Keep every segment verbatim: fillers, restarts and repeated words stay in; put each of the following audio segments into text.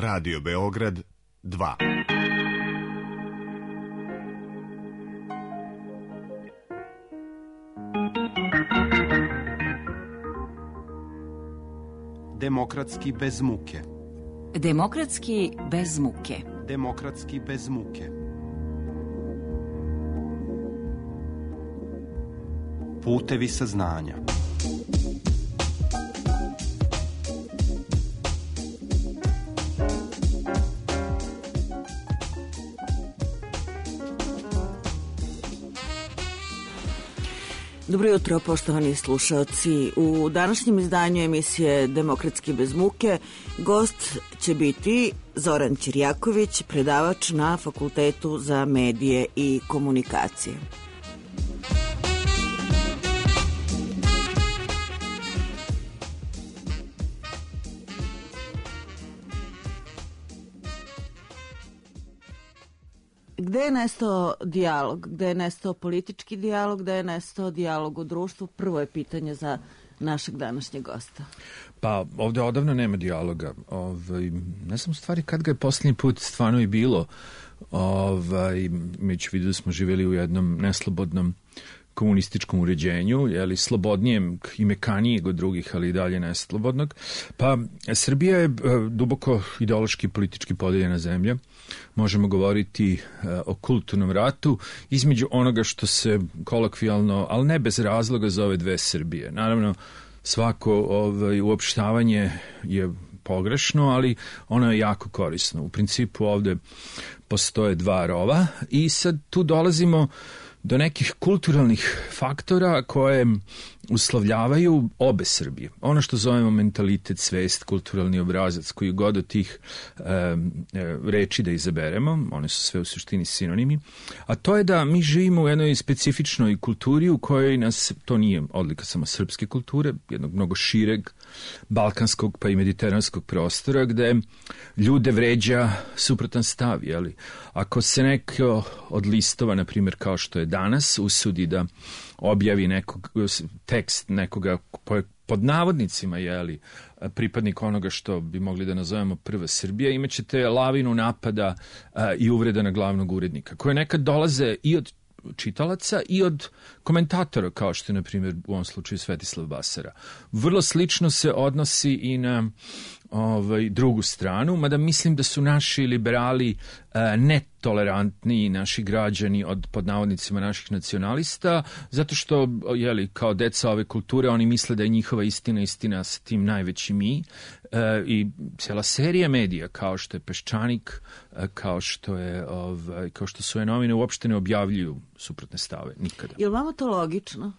Radio Beograd dva. Demokratski bez muke. Demokratski bez muke. Demokratski bez muke. Putevi saznanja. Dobro jutro, poštovani slušalci. U današnjem izdanju emisije Demokratski bez muke gost će biti Zoran Ćirjaković, predavač na Fakultetu za medije i komunikacije. Gde je nestao dijalog? Gde je nestao politički dijalog? Gde je nestao dijalog u društvu? Prvo je pitanje za našeg današnjeg gosta. Pa ovde odavno nema dijaloga. Ovaj, ne znam stvari kad ga je posljednji put stvarno i bilo. Ovaj, mi ću vidio da smo živjeli u jednom neslobodnom komunističkom uređenju, jeli, slobodnijem i mekanijeg od drugih, ali i dalje neslobodnog. Pa Srbija je duboko ideološki i politički podeljena zemlja. Možemo govoriti o kulturnom ratu između onoga što se kolokvijalno, ali ne bez razloga, zove dve Srbije. Naravno, svako ovaj, uopštavanje je pogrešno, ali ono je jako korisno. U principu ovde postoje dva rova i sad tu dolazimo do nekih kulturalnih faktora koje uslovljavaju obe Srbije. Ono što zovemo mentalitet, svest, kulturalni obrazac, koji god od tih e, reči da izaberemo, one su sve u suštini sinonimi, a to je da mi živimo u jednoj specifičnoj kulturi u kojoj nas, to nije odlika samo srpske kulture, jednog mnogo šireg balkanskog pa i mediteranskog prostora, gde ljude vređa suprotan stav, jeli? Ako se neko od listova, na primjer kao što je danas, usudi da objavi nekog, tekst nekoga pod navodnicima, jeli, pripadnik onoga što bi mogli da nazovemo prva Srbija, imaćete lavinu napada a, i uvreda na glavnog urednika, koje nekad dolaze i od čitalaca i od komentatora, kao što je, na primjer, u ovom slučaju Svetislav Basara. Vrlo slično se odnosi i na ovaj, drugu stranu, mada mislim da su naši liberali a, netolerantni, naši građani od, pod navodnicima, naših nacionalista, zato što, jeli, kao deca ove kulture, oni misle da je njihova istina istina sa tim najveći mi, e, i cijela serija medija, kao što je Peščanik, e, kao što je ovaj, kao što su je novine, uopšte ne objavljuju suprotne stave, nikada. Je li vama to logično?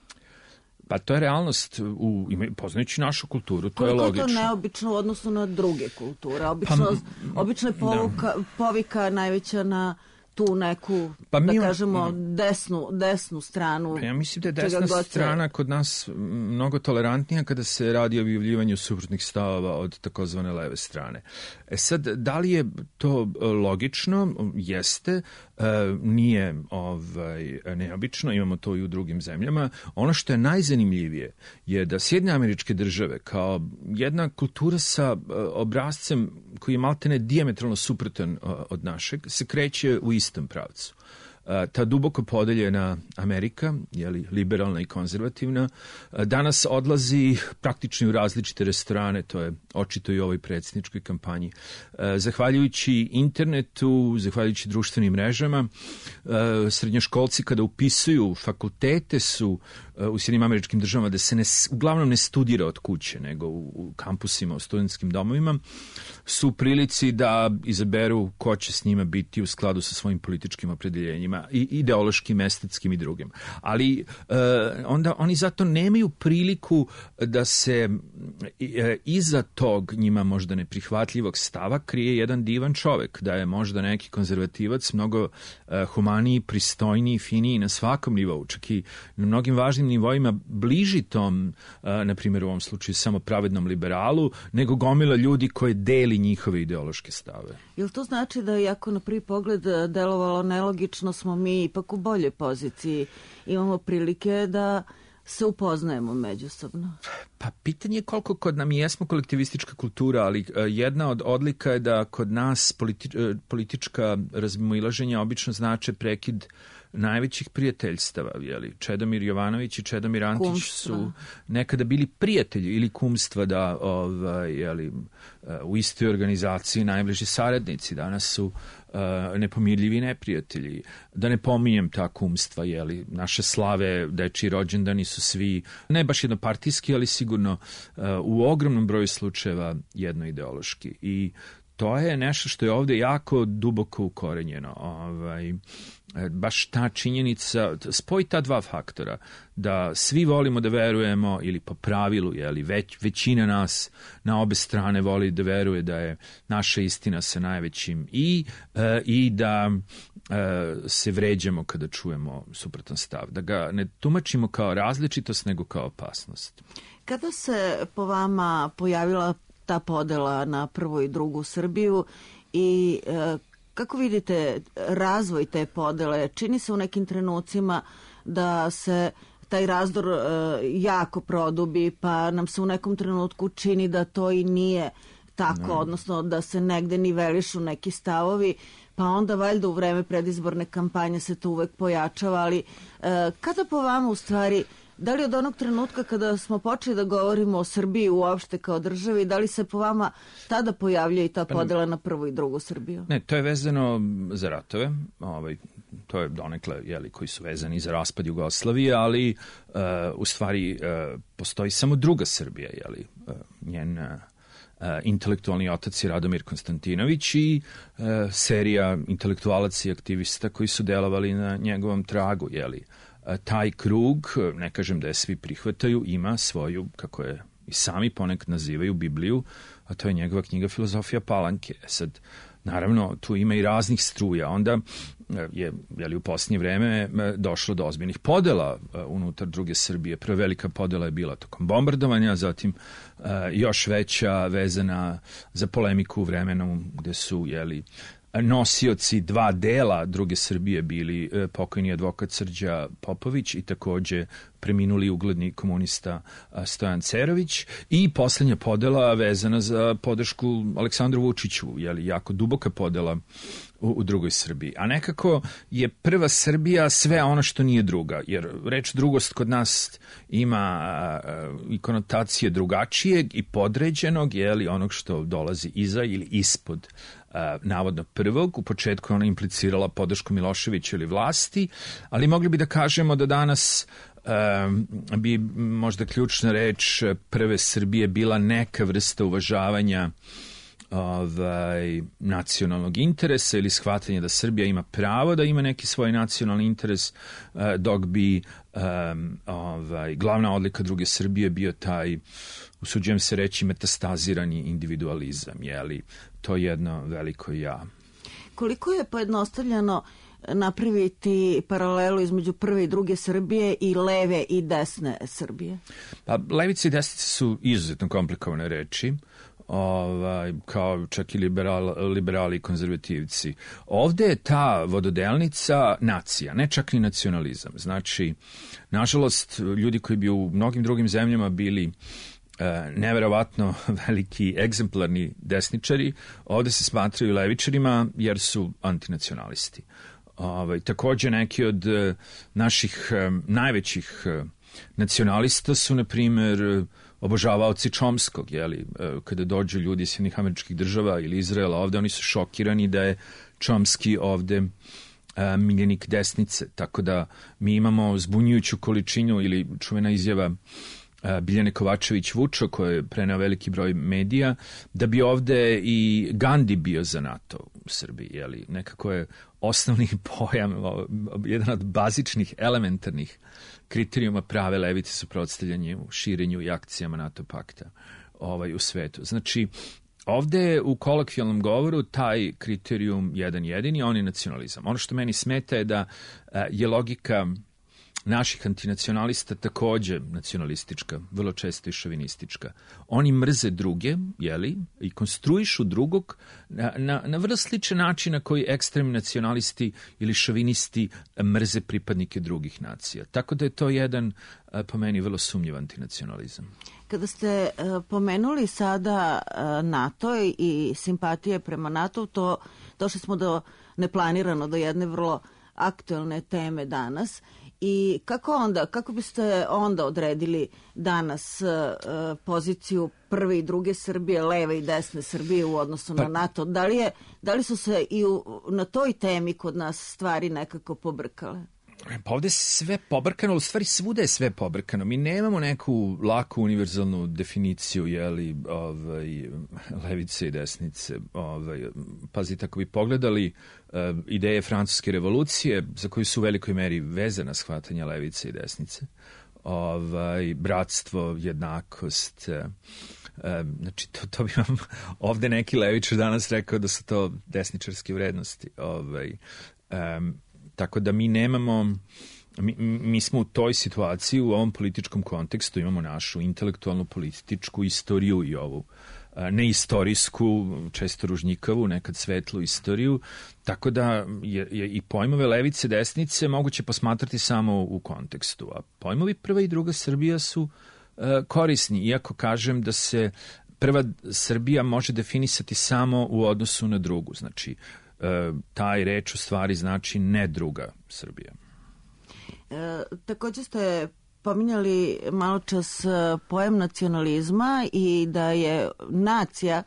Pa to je realnost, u, poznajući našu kulturu, to Koliko je logično. Koliko je to neobično u odnosu na druge kulture? Obično, pa, obično je povuka, povika najveća na tu neku, pa da mi, kažemo, desnu, desnu stranu. Pa ja mislim da je desna strana kod nas mnogo tolerantnija kada se radi o objavljivanju suprotnih stavova od takozvane leve strane. E sad, da li je to logično? Jeste. E, nije ovaj, neobično, imamo to i u drugim zemljama. Ono što je najzanimljivije je da Sjedinjene Američke Države kao jedna kultura sa obrascem koji je maltene dijametralno suprotan od našeg, se kreće u istom pravcu. Ta duboko podeljena Amerika, jeli, liberalna i konzervativna, danas odlazi praktično u različite restorane, to je očito i u ovoj predsjedničkoj kampanji. Zahvaljujući internetu, zahvaljujući društvenim mrežama, srednjoškolci kada upisuju fakultete su u Sjedinjenim Američkim Državama, da se ne, uglavnom ne studira od kuće, nego u, u kampusima, u studentskim domovima, su u prilici da izaberu ko će s njima biti u skladu sa svojim političkim opredeljenjima, i ideološkim, estetskim i drugim. Ali e, onda oni zato nemaju priliku da se e, iza tog njima možda neprihvatljivog stava krije jedan divan čovek, da je možda neki konzervativac mnogo e, humaniji, pristojniji, finiji na svakom nivou, čak i na mnogim važnim nivoima bliži tom, e, na primjer u ovom slučaju samo pravednom liberalu, nego gomila ljudi koje deli njihove ideološke stave. Jel to znači da, iako na prvi pogled delovalo nelogično, smo mi ipak u boljoj poziciji? Imamo prilike da se upoznajemo međusobno? Pa pitanje je koliko kod nam jesmo kolektivistička kultura, ali jedna od odlika je da kod nas politi, politička razmimoilaženja obično znače prekid najvećih prijateljstava, jeli, Čedomir Jovanović i Čedomir Antić kumstva. Su nekada bili prijatelji ili kumstva da ovaj, jeli, u istoj organizaciji najbliži saradnici, danas su uh, nepomirljivi neprijatelji. Da ne pominjem ta kumstva, jeli, naše slave, dečiji rođendani su svi, ne baš jednopartijski, ali sigurno uh, u ogromnom broju slučajeva jednoideološki. I to je nešto što je ovde jako duboko ukorenjeno. Ovaj, baš ta činjenica, spoji ta dva faktora, da svi volimo da verujemo, ili po pravilu, jeli, već, većina nas na obe strane voli da veruje da je naša istina sa najvećim i, e, i da e, se vređamo kada čujemo suprotan stav, da ga ne tumačimo kao različitost, nego kao opasnost. Kada se po vama pojavila ta podela na prvu i drugu Srbiju i e, kako vidite razvoj te podele? Čini se u nekim trenucima da se taj razdor e, jako produbi, pa nam se u nekom trenutku čini da to i nije tako, no. Odnosno da se negde nivelišu neki stavovi, pa onda valjda u vreme predizborne kampanje se to uvek pojačava, ali e, kada po vama u stvari, da li od onog trenutka kada smo počeli da govorimo o Srbiji uopšte kao državi, da li se po vama tada pojavlja i ta podela na prvu i drugu Srbiju? Ne, to je vezano za ratove, ovaj, to je donekle, jeli, koji su vezani za raspad Jugoslavije, ali uh, u stvari uh, postoji samo druga Srbija, jeli, uh, njen uh, intelektualni otac je Radomir Konstantinović i uh, serija intelektualaca i aktivista koji su delovali na njegovom tragu, jeli. Taj krug, ne kažem da je svi prihvataju, ima svoju, kako je i sami ponekad nazivaju, Bibliju, a to je njegova knjiga Filozofija Palanke. Sad, naravno, tu ima i raznih struja. Onda je, jeli, u posljednje vreme došlo do ozbiljnih podela unutar druge Srbije. Prva velika podela je bila tokom bombardovanja, zatim još veća vezana za polemiku u vremenu gde su, jeli, nosioci dva dela druge Srbije bili e, pokojni advokat Srđa Popović i takođe preminuli ugledni komunista a, Stojan Cerović, i poslednja podela vezana za podršku Aleksandru Vučiću, jeli, jako duboka podela u, u drugoj Srbiji. A nekako je prva Srbija sve ono što nije druga, jer reč drugost kod nas ima a, a, i konotacije drugačijeg i podređenog, jeli, onog što dolazi iza ili ispod Uh, navodno prvog. U početku ona implicirala podršku Miloševića ili vlasti, ali mogli bi da kažemo da danas uh, bi možda ključna reč prve Srbije bila neka vrsta uvažavanja ovaj, nacionalnog interesa ili shvatanja da Srbija ima pravo da ima neki svoj nacionalni interes, uh, dok bi um, ovaj, glavna odlika druge Srbije bio taj, usuđujem se reći, metastazirani individualizam, jeli, to je jedno veliko ja. Koliko je pojednostavljeno napraviti paralelu između prve i druge Srbije i leve i desne Srbije? Pa, levice i desnice su izuzetno komplikovane reči, ovaj, kao čak i liberal, liberali i konzervativci. Ovde je ta vododelnica nacija, ne čak ni nacionalizam. Znači, nažalost, ljudi koji bi u mnogim drugim zemljama bili neverovatno veliki egzemplarni desničari, ovde se smatraju levičarima jer su antinacionalisti. Ovaj, takođe neki od naših najvećih nacionalista su, na primjer, obožavaoci Čomskog, jeli, kada dođu ljudi iz Sjedinjenih Američkih Država ili Izraela ovde, oni su šokirani da je Čomski ovde miljenik desnice, tako da mi imamo zbunjujuću količinu, ili čuvena izjava Biljane Kovačević-Vučo, koja je preneo veliki broj medija, da bi ovde i Gandhi bio za NATO u Srbiji. Jeli? Nekako je osnovni pojam, jedan od bazičnih, elementarnih kriterijuma prave levice suprotstavljanje u širenju i akcijama NATO pakta ovaj, u svetu. Znači, ovde u kolokvijalnom govoru taj kriterijum jedan jedini, on je nacionalizam. Ono što meni smeta je da je logika naših antinacionalista takođe nacionalistička, vrlo često i šovinistička. Oni mrze druge, jeli, i konstruišu drugog na, na, na vrlo sličan način na koji ekstremni nacionalisti ili šovinisti mrze pripadnike drugih nacija. Tako da je to jedan, po meni, vrlo sumnjiv antinacionalizam. Kada ste uh, pomenuli sada uh, NATO i simpatije prema NATO, to došli smo do neplanirano do jedne vrlo aktuelne teme danas. I kako onda, kako biste onda odredili danas uh, poziciju prve i druge Srbije, leve i desne Srbije u odnosu pa, na NATO? Da li, je, da li su se i u, na toj temi kod nas stvari nekako pobrkale? Pa ovde je sve pobrkano, ali u stvari svuda je sve pobrkano. Mi nemamo neku laku univerzalnu definiciju, jeli, ovaj, levice i desnice. Ovaj, pazite, ako bi pogledali uh, ideje francuske revolucije, za koju su u velikoj meri vezana shvatanja levice i desnice, ovaj, bratstvo, jednakost, uh, Um, znači, to, to bi vam ovde neki levičar danas rekao da su to desničarske vrednosti. Ovaj, um, tako da mi nemamo, mi, mi smo u toj situaciji, u ovom političkom kontekstu, imamo našu intelektualnu političku istoriju i ovu neistorijsku, često ružnjikavu, nekad svetlu istoriju, tako da je, je i pojmove levice, desnice moguće posmatrati samo u kontekstu. A pojmovi prva i druga Srbija su korisni, iako kažem da se prva Srbija može definisati samo u odnosu na drugu. Znači, taj reč u stvari znači ne druga Srbija. E, takođe ste pominjali malo čas pojam nacionalizma i da je nacija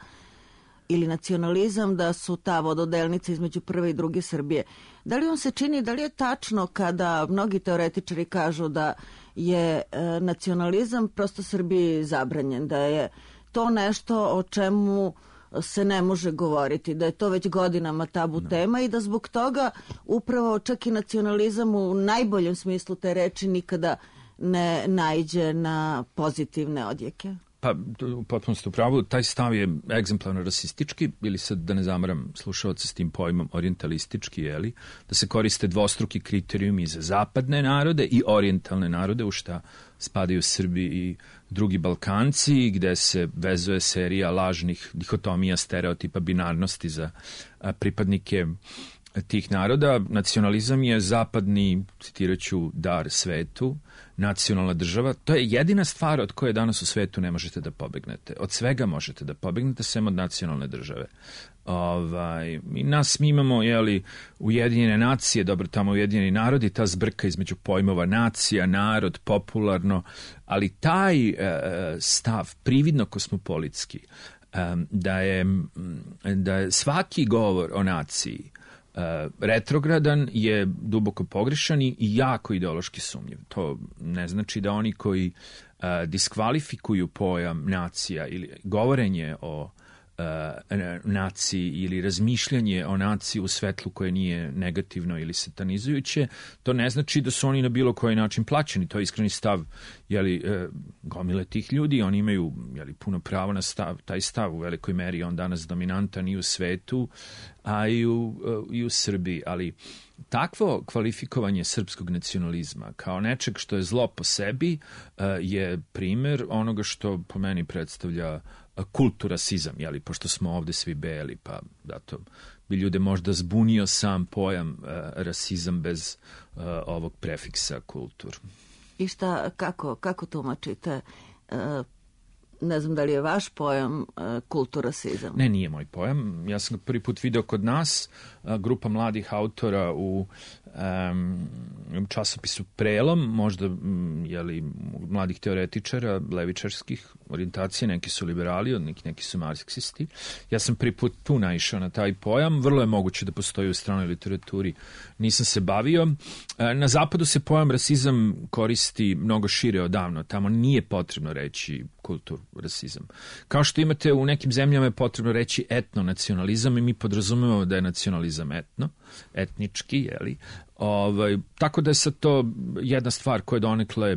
ili nacionalizam da su ta vododelnica između prve i druge Srbije. Da li vam se čini, da li je tačno kada mnogi teoretičari kažu da je e, nacionalizam prosto Srbiji zabranjen, da je to nešto o čemu se ne može govoriti, da je to već godinama tabu no. tema i da zbog toga upravo čak i nacionalizam u najboljem smislu te reči nikada ne naiđe na pozitivne odjeke? Pa, potpuno ste u pravu, taj stav je egzemplarno rasistički, ili sad da ne zamaram slušalce s tim pojmom orijentalistički, jeli, da se koriste dvostruki kriterijumi za zapadne narode i orijentalne narode, u šta spadaju Srbi i drugi Balkanci, gde se vezuje serija lažnih dihotomija, stereotipa, binarnosti za a, pripadnike tih naroda. Nacionalizam je zapadni, citiraću, dar svetu, nacionalna država. To je jedina stvar od koje danas u svetu ne možete da pobegnete. Od svega možete da pobegnete, sem od nacionalne države. Ovaj, mi nas mi imamo, jeli, Ujedinjene nacije, dobro, tamo Ujedinjeni narodi, ta zbrka između pojmova nacija, narod, popularno, ali taj e, stav, prividno kosmopolitski, e, da je, da je svaki govor o naciji Uh, retrogradan je duboko pogrešan i jako ideološki sumnjiv. To ne znači da oni koji uh, diskvalifikuju pojam nacija ili govorenje o uh, naciji ili razmišljanje o naciji u svetlu koje nije negativno ili satanizujuće, to ne znači da su oni na bilo koji način plaćeni. To je iskreni stav, jeli, uh, gomile tih ljudi, oni imaju, jeli, puno pravo na stav, taj stav u velikoj meri, on danas dominantan i u svetu, a i u, i u Srbiji, ali takvo kvalifikovanje srpskog nacionalizma kao nečeg što je zlo po sebi je primer onoga što po meni predstavlja kulturasizam, jeli, pošto smo ovde svi beli, pa zato bi ljude možda zbunio sam pojam rasizam bez ovog prefiksa kultur. I šta, kako, kako tumačite? Ne znam da li je vaš pojam uh, kulturasizam. Ne, nije moj pojam. Ja sam ga prvi put video kod nas, uh, grupa mladih autora u um, časopisu Prelom, možda um, jeli, mladih teoretičara, levičarskih orijentacija, neki su liberali, neki, neki su marksisti. Ja sam prvi put tu naišao na taj pojam. Vrlo je moguće da postoji u stranoj literaturi. Nisam se bavio. Uh, na zapadu se pojam rasizam koristi mnogo šire odavno. Tamo nije potrebno reći kultur rasizam. Kao što imate u nekim zemljama je potrebno reći etnonacionalizam i mi podrazumevamo da je nacionalizam etno, etnički, jeli. Ovaj, tako da je sad to jedna stvar koja je donekle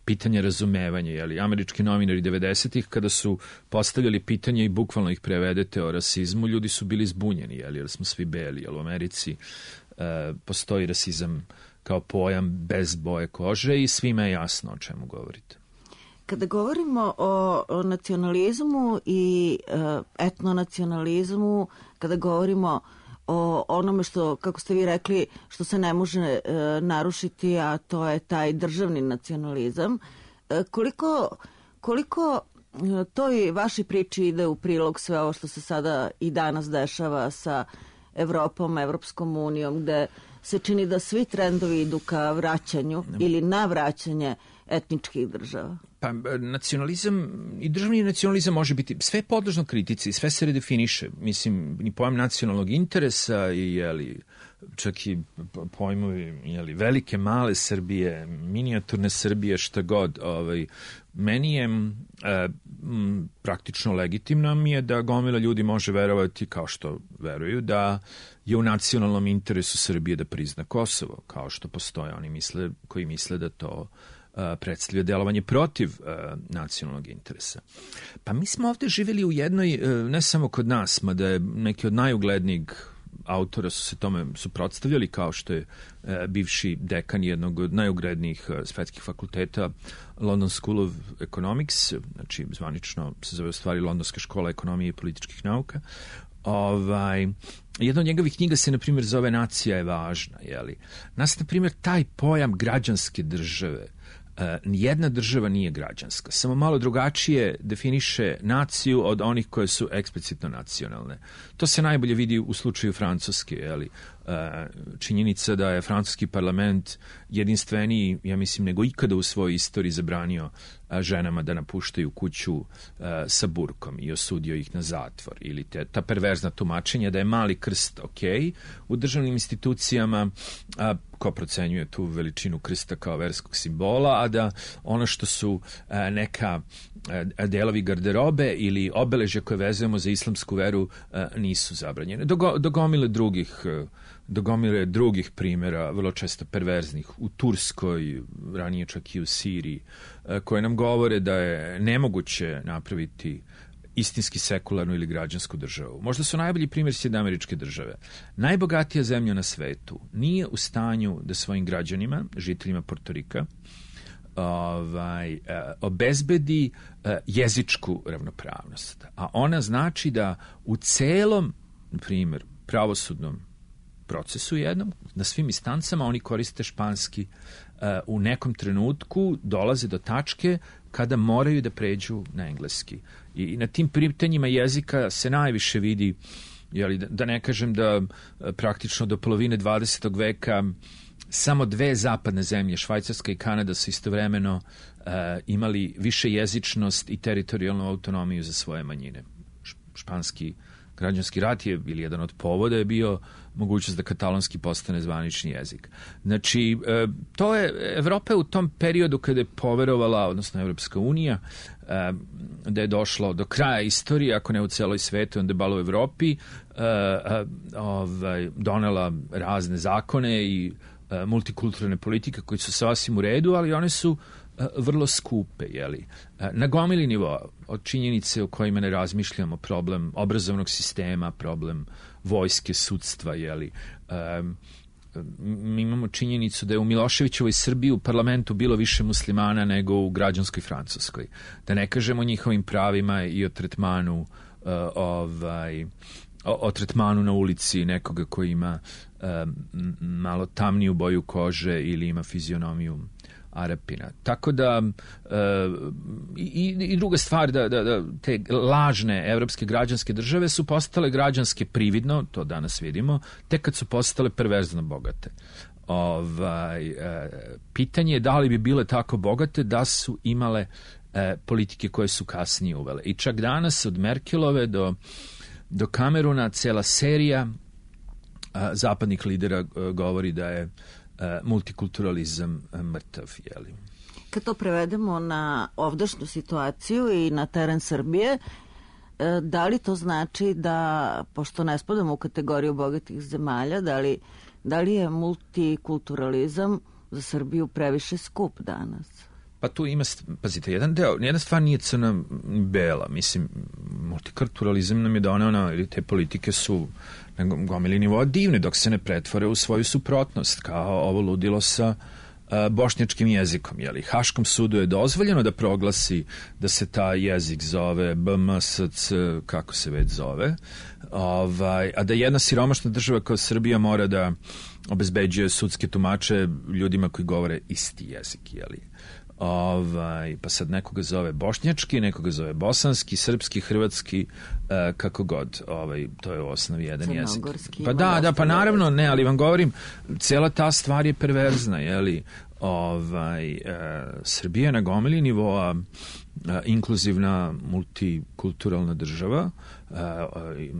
pitanje razumevanja, jeli. Američki novinari devedesetih kada su postavljali pitanje i bukvalno ih prevedete o rasizmu, ljudi su bili zbunjeni, jeli, jer smo svi beli, jer u Americi uh, postoji rasizam kao pojam bez boje kože i svima je jasno o čemu govorite. Kada govorimo o, o nacionalizmu i e, etnonacionalizmu, kada govorimo o onome što, kako ste vi rekli, što se ne može e, narušiti, a to je taj državni nacionalizam, e, koliko, koliko e, toj vašoj priči ide u prilog sve ovo što se sada i danas dešava sa Evropom, Evropskom unijom, gde se čini da svi trendovi idu ka vraćanju ili na vraćanje etničkih država? Pa nacionalizam i državni nacionalizam može biti sve podložno kritici, sve se redefiniše. Mislim, ni pojam nacionalnog interesa i jeli, čak i pojmovi jeli, velike, male Srbije, minijaturne Srbije, šta god. Ovaj, meni je e, m, praktično legitimno mi je da gomila ljudi može verovati, kao što veruju, da je u nacionalnom interesu Srbije da prizna Kosovo, kao što postoje oni misle, koji misle da to predstavlja delovanje protiv uh, nacionalnog interesa. Pa mi smo ovde živjeli u jednoj, uh, ne samo kod nas, mada je neki od najuglednijih autora su se tome suprotstavljali, kao što je uh, bivši dekan jednog od najuglednijih uh, svetskih fakulteta London School of Economics, znači zvanično se zove u stvari Londonska škola ekonomije i političkih nauka. Ovaj, jedna od njegovih knjiga se, na primjer, zove Nacija je važna. Jeli? Nas, na primjer, taj pojam građanske države, Uh, nijedna država nije građanska, samo malo drugačije definiše naciju od onih koje su eksplicitno nacionalne. To se najbolje vidi u slučaju Francuske, jeli? Uh, činjenica da je francuski parlament jedinstveniji, ja mislim, nego ikada u svojoj istoriji zabranio uh, ženama da napuštaju kuću uh, sa burkom i osudio ih na zatvor. Ili te, ta perverzna tumačenja da je mali krst ok u državnim institucijama, a ko procenjuje tu veličinu krsta kao verskog simbola, a da ono što su a, neka a, delovi garderobe ili obeležja koje vezujemo za islamsku veru a, nisu zabranjene. Do, do gomile drugih, do gomile drugih primjera, vrlo često perverznih, u Turskoj, ranije čak i u Siriji, a, koje nam govore da je nemoguće napraviti istinski sekularnu ili građansku državu. Možda su najbolji primjer Sjedinjene Američke Države. Najbogatija zemlja na svetu nije u stanju da svojim građanima, žiteljima Portorika, ovaj, obezbedi jezičku ravnopravnost. A ona znači da u celom, na primjer, pravosudnom procesu jednom, na svim instancama oni koriste španski, u nekom trenutku dolaze do tačke kada moraju da pređu na engleski. I na tim pitanjima jezika se najviše vidi, jeli, da ne kažem da praktično do polovine dvadesetog veka samo dve zapadne zemlje, Švajcarska i Kanada, su istovremeno uh, imali više jezičnost i teritorijalnu autonomiju za svoje manjine. Španski građanski rat je ili jedan od povoda je bio mogućnost da katalonski postane zvanični jezik. Znači, to je Evropa u tom periodu kada je poverovala, odnosno Evropska unija, da je došlo do kraja istorije, ako ne u celoj svetu, onda je balo u Evropi, ovaj, donela razne zakone i multikulturalne politike koji su sasvim u redu, ali one su vrlo skupe, jeli. Na gomili nivoa, od činjenice o kojima ne razmišljamo, problem obrazovnog sistema, problem vojske, sudstva, jeli. Um, mi imamo činjenicu da je u Miloševićevoj Srbiji u parlamentu bilo više muslimana nego u građanskoj Francuskoj. Da ne kažemo o njihovim pravima i o tretmanu uh, ovaj, o, o tretmanu na ulici nekoga koji ima um, malo tamniju boju kože ili ima fizionomiju Arapina. Tako da e, i, i druga stvar da, da, da te lažne evropske građanske države su postale građanske prividno, to danas vidimo, tek kad su postale perverzno bogate. Ovaj, e, pitanje je da li bi bile tako bogate da su imale e, politike koje su kasnije uvele. I čak danas od Merkelove do, do Kameruna cela serija a, zapadnih lidera a, govori da je multikulturalizam mrtav, jeli. Kad to prevedemo na ovdašnju situaciju i na teren Srbije, da li to znači da, pošto ne spadamo u kategoriju bogatih zemalja, da li, da li je multikulturalizam za Srbiju previše skup danas? Pa tu ima, pazite, jedan deo, jedna stvar nije crna bela, mislim, multikulturalizam nam je doneo, ono, ili te politike su na gomili nivoa divne, dok se ne pretvore u svoju suprotnost, kao ovo ludilo sa a, bošnjačkim jezikom, jeli. Haškom sudu je dozvoljeno da proglasi da se taj jezik zove B M S C, kako se već zove, ovaj, a da jedna siromašna država kao Srbija mora da obezbeđuje sudske tumače ljudima koji govore isti jezik, jeli. Ovaj, pa sad nekoga zove bošnjački, nekoga zove bosanski, srpski, hrvatski, e, kako god, ovaj, to je u osnovi jedan jezik. Pa da, da, pa naravno ne, ali vam govorim, cela ta stvar je perverzna, jeli, ovaj, e, Srbija je na gomili nivoa e, inkluzivna multikulturalna država, e, e,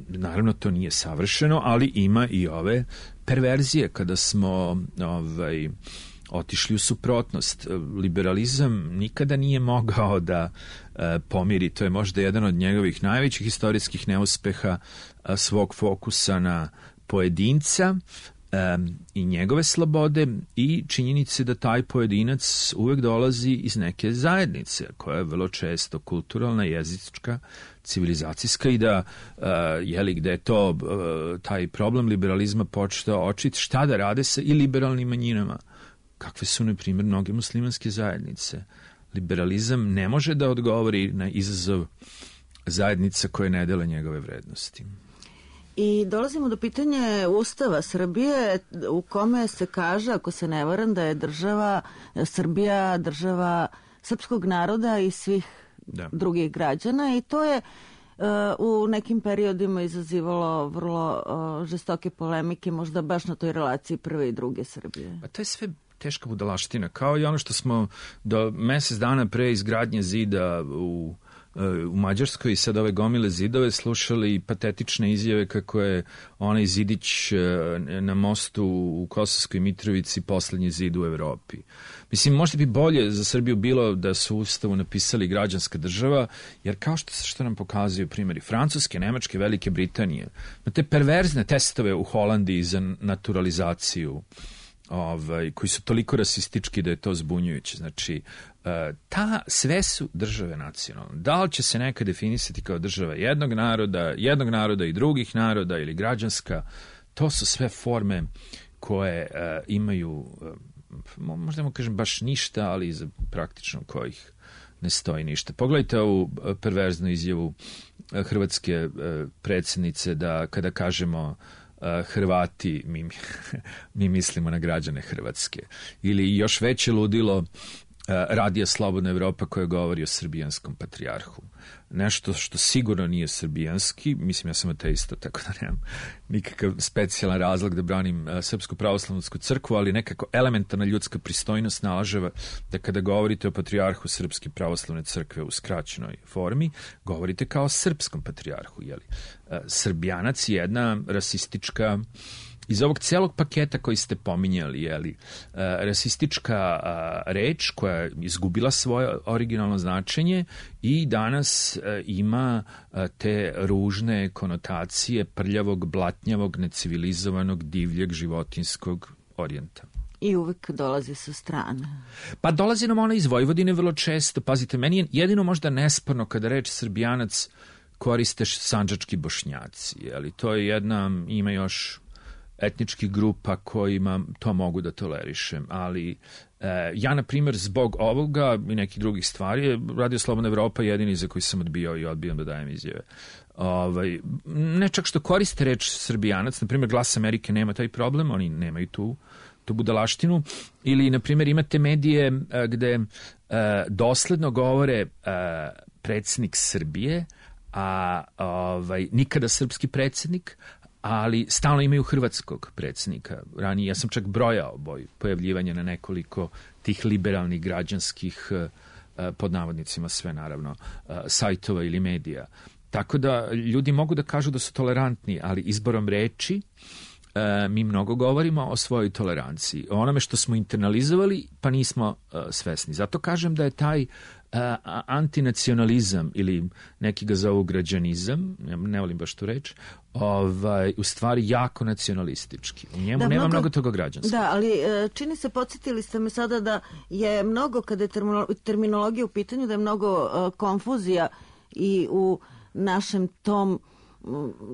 naravno to nije savršeno, ali ima i ove perverzije kada smo ovaj, otišli u suprotnost. Liberalizam nikada nije mogao da e, pomiri, to je možda jedan od njegovih najvećih istorijskih neuspeha, a, svog fokusa na pojedinca e, i njegove slobode i činjenice da taj pojedinac uvek dolazi iz neke zajednice koja je vrlo često kulturalna, jezička, civilizacijska i da uh, jeli, gde je to uh, taj problem liberalizma počeo očit šta da rade sa i liberalnim manjinama. Kakve su, na primjer, mnoge muslimanske zajednice. Liberalizam ne može da odgovori na izazov zajednica koje ne dele njegove vrednosti. I dolazimo do pitanja Ustava Srbije u kome se kaže, ako se ne varam, da je država Srbija država srpskog naroda i svih da. drugih građana i to je uh, u nekim periodima izazivalo vrlo uh, žestoke polemike, možda baš na toj relaciji prve i druge Srbije. Pa to je sve teška budalaština, kao i ono što smo do mesec dana pre izgradnje zida u u Mađarskoj i sad ove gomile zidove slušali patetične izjave kako je onaj zidić na mostu u Kosovskoj Mitrovici poslednji zid u Evropi. Mislim, možda bi bolje za Srbiju bilo da su u Ustavu napisali građanska država, jer kao što, što nam pokazuju primjeri Francuske, Nemačke, Velike Britanije, na te perverzne testove u Holandiji za naturalizaciju, ovaj, koji su toliko rasistički da je to zbunjujuće. Znači, ta, sve su države nacionalne. Da li će se neka definisati kao država jednog naroda, jednog naroda i drugih naroda ili građanska, to su sve forme koje uh, imaju, uh, možda mu kažem baš ništa, ali za praktično kojih ne stoji ništa. Pogledajte ovu perverznu izjavu uh, hrvatske uh, predsjednice da kada kažemo uh, Hrvati, mi, mi mislimo na građane Hrvatske. Ili još veće ludilo Radija Slobodna Evropa koja govori o srbijanskom patrijarhu. Nešto što sigurno nije srbijanski, mislim ja sam ateista, tako da nemam nikakav specijalan razlog da branim uh, Srpsku pravoslavnu crkvu, ali nekako elementarna ljudska pristojnost nalaževa da kada govorite o patrijarhu Srpske pravoslavne crkve u skraćenoj formi, govorite kao o srpskom patrijarhu. Jeli? Uh, Srbijanac je jedna rasistička iz ovog celog paketa koji ste pominjali, jeli, uh, rasistička uh, reč koja je izgubila svoje originalno značenje i danas uh, ima uh, te ružne konotacije prljavog, blatnjavog, necivilizovanog, divljeg, životinskog orijenta. I uvek dolazi sa strane. Pa dolazi nam ona iz Vojvodine vrlo često. Pazite, meni je jedino možda nesporno kada reč Srbijanac koriste sandžački Bošnjaci, jeli, to je jedna, ima još etničkih grupa kojima to mogu da tolerišem, ali e, ja, na primjer, zbog ovoga i nekih drugih stvari, Radio Slobodna Evropa je jedini za koji sam odbijao i odbijam da dajem izjave. Ovaj, ne čak što koriste reč Srbijanac, na primjer Glas Amerike nema taj problem, oni nemaju tu, tu budalaštinu, ili, na primjer, imate medije e, gde e, dosledno govore e, predsjednik Srbije, a ovaj, nikada srpski predsjednik, ali stalno imaju hrvatskog predsjednika. Ranije, ja sam čak brojao boj pojavljivanja na nekoliko tih liberalnih građanskih, pod navodnicima sve naravno, sajtova ili medija. Tako da ljudi mogu da kažu da su tolerantni, ali izborom reči e, mi mnogo govorimo o svojoj toleranciji, o onome što smo internalizovali pa nismo e, svesni. Zato kažem da je taj e, antinacionalizam ili neki ga zovu građanizam, ne volim baš tu reč, ovaj, u stvari jako nacionalistički. U njemu da, nema mnogo, mnogo toga građanskog. Da, ali čini se, podsjetili ste me sada da je mnogo, kada je terminologija u pitanju, da je mnogo uh, konfuzija i u našem tom,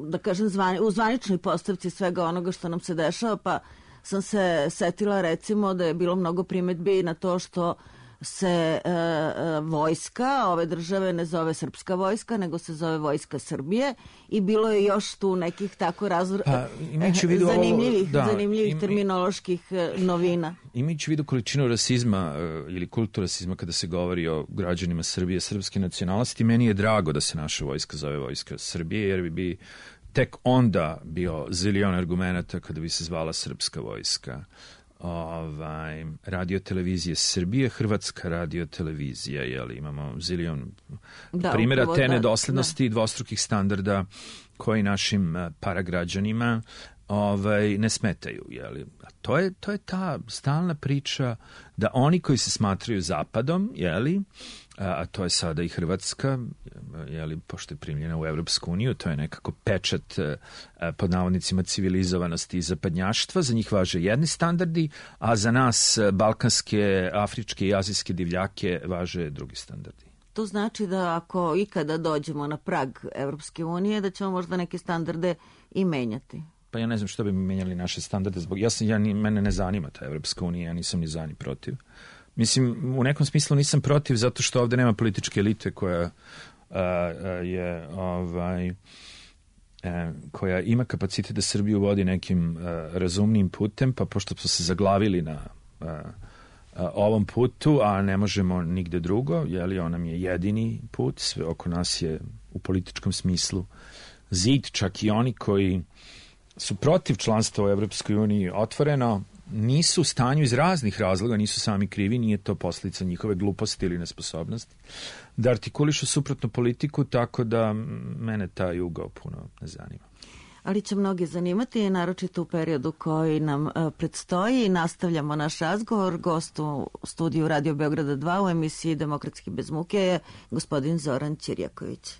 da kažem, zvani, u zvaničnoj postavci svega onoga što nam se dešava, pa sam se setila recimo da je bilo mnogo primedbi na to što se e, e, vojska ove države ne zove srpska vojska, nego se zove vojska Srbije i bilo je još tu nekih tako razvr... pa, vidu zanimljivih, ovo, da, zanimljivih im, terminoloških novina. Imajući vidu količinu rasizma ili kultu rasizma kada se govori o građanima Srbije, srpske nacionalnosti, meni je drago da se naša vojska zove vojska Srbije, jer bi bi tek onda bio zilion argumenta kada bi se zvala srpska vojska. Ovaj, radio televizije Srbije, Hrvatska radio televizija, jel, imamo zilion da, primjera te nedoslednosti i da. dvostrukih standarda koji našim paragrađanima ovaj, ne smetaju. Jel. A to je, to je ta stalna priča da oni koji se smatraju zapadom, jeli, a to je sada i Hrvatska, jeli, pošto je primljena u Evropsku uniju, to je nekako pečat pod navodnicima civilizovanosti i zapadnjaštva, za njih važe jedni standardi, a za nas balkanske, afričke i azijske divljake važe drugi standardi. To znači da ako ikada dođemo na prag Evropske unije, da ćemo možda neke standarde i menjati. Pa ja ne znam što bi mi menjali naše standarde, zbog ja sam, ja, mene ne zanima ta Evropska unija, ja nisam ni za ni protiv. Mislim, u nekom smislu nisam protiv zato što ovde nema političke elite koja a, a, je ovaj, a, koja ima kapacitet da Srbiju vodi nekim a, razumnim putem, pa pošto smo se zaglavili na a, a, ovom putu, a ne možemo nigde drugo, jeli, on nam je jedini put, sve oko nas je u političkom smislu zid, čak i oni koji su protiv članstva u Evropskoj uniji otvoreno nisu u stanju iz raznih razloga, nisu sami krivi, nije to posljedica njihove gluposti ili nesposobnosti, da artikulišu suprotnu politiku, tako da mene taj ugao puno ne zanima. Ali će mnogi zanimati, naročito u periodu koji nam uh, predstoji. Nastavljamo naš razgovor. Gost u studiju Radio Beograda dva u emisiji Demokratski bez muke je gospodin Zoran Ćirjaković.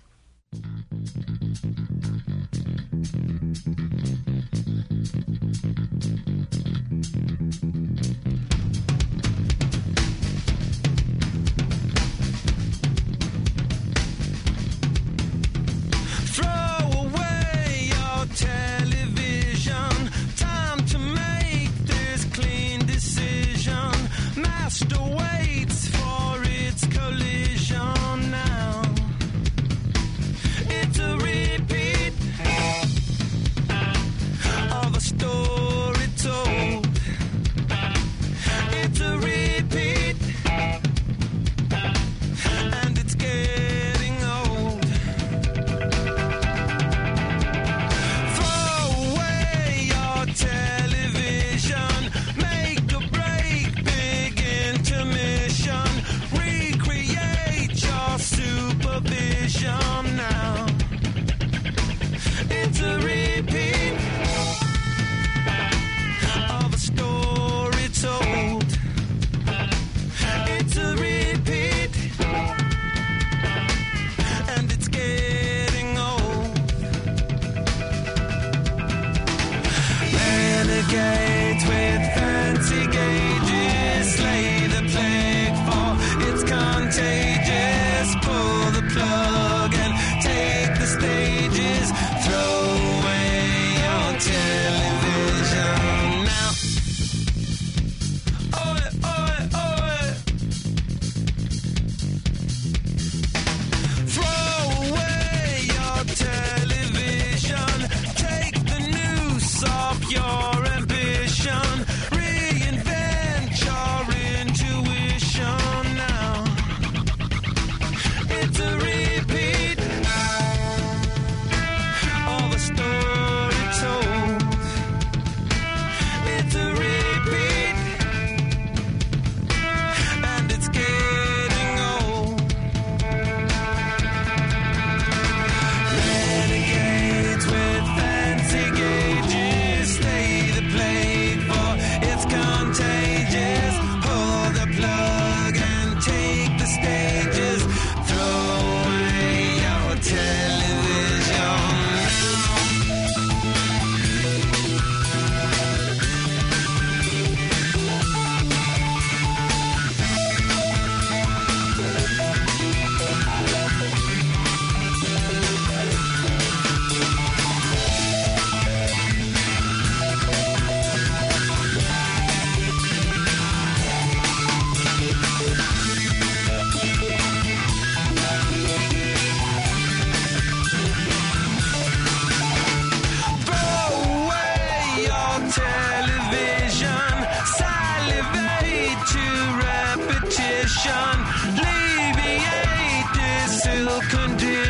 Stay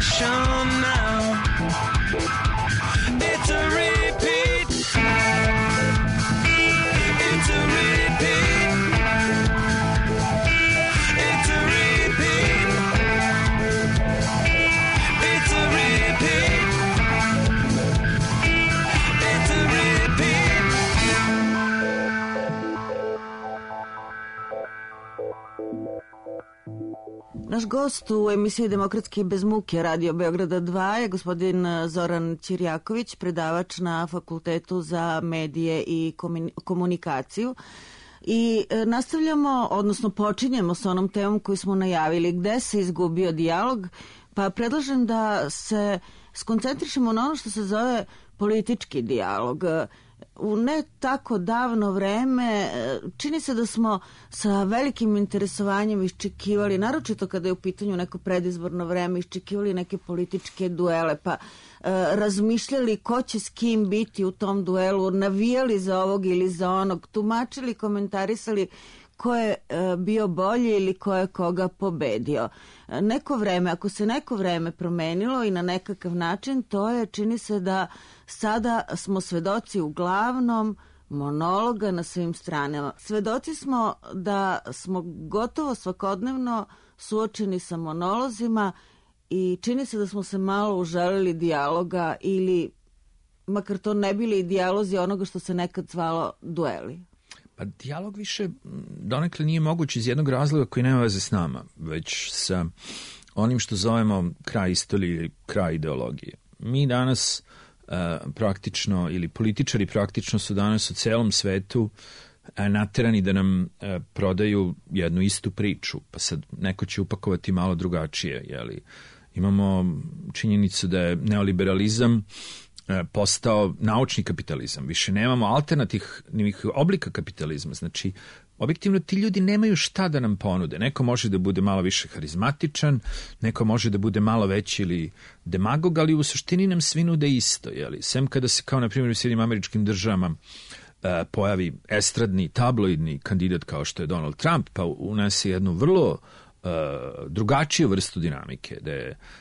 repetition now. It's a repeat. It's a repeat. It's a repeat. It's a repeat. It's a repeat. Naš gost u emisiji Demokratski bez muke Radio Beograda dva je gospodin Zoran Ćirjaković, predavač na Fakultetu za medije i komunikaciju. I nastavljamo, odnosno počinjemo sa onom temom koju smo najavili, gde se izgubio dijalog, pa predlažem da se skoncentrišemo na ono što se zove politički dijalog. U ne tako davno vreme čini se da smo sa velikim interesovanjem iščekivali, naročito kada je u pitanju neko predizborno vreme, iščekivali neke političke duele, pa e, razmišljali ko će s kim biti u tom duelu, navijali za ovog ili za onog, tumačili, komentarisali ko je e, bio bolji ili ko je koga pobedio. E, neko vreme, ako se neko vreme promenilo i na nekakav način, to je, čini se da sada smo svedoci uglavnom monologa na svim stranama. Svedoci smo da smo gotovo svakodnevno suočeni sa monolozima i čini se da smo se malo uželili dijaloga ili makar to ne bili dijalozi onoga što se nekad zvalo dueli. Pa dijalog više donekle nije moguć iz jednog razloga koji nema veze s nama, već sa onim što zovemo kraj istorije ili kraj ideologije. Mi danas uh, praktično, ili političari praktično su danas u celom svetu uh, naterani da nam uh, prodaju jednu istu priču, pa sad neko će upakovati malo drugačije. Jeli? Imamo činjenicu da je neoliberalizam postao naučni kapitalizam. Više nemamo alternativnih oblika kapitalizma. Znači, objektivno ti ljudi nemaju šta da nam ponude. Neko može da bude malo više harizmatičan, neko može da bude malo veći ili demagog, ali u suštini nam svi nude isto. Jeli? Sem kada se, kao na primjer u Sjedinjenim Američkim Državama, pojavi estradni, tabloidni kandidat kao što je Donald Trump, pa unese jednu vrlo Uh, drugačiju vrstu dinamike, da